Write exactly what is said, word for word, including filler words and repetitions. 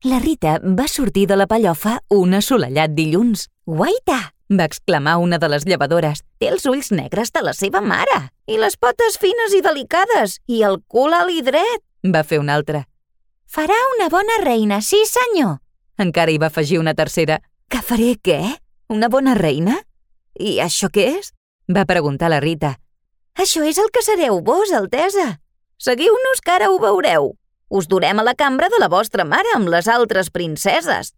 La Rita va sortir de la pellofa un assolellat dilluns. «Guaita!», va exclamar una de les llevadores. «Té els ulls negres de la seva mare! I les potes fines i delicades! I el cul alt i dret!», va fer una altra. «Farà una bona reina, sí senyor!», encara hi va afegir una tercera. «Que faré què? Una bona reina? I això què és?», va preguntar la Rita. «Això és el que sereu vos, Altesa. Seguiu-nos que ara ho veureu. Us durem a la cambra de la vostra mare amb les altres princeses».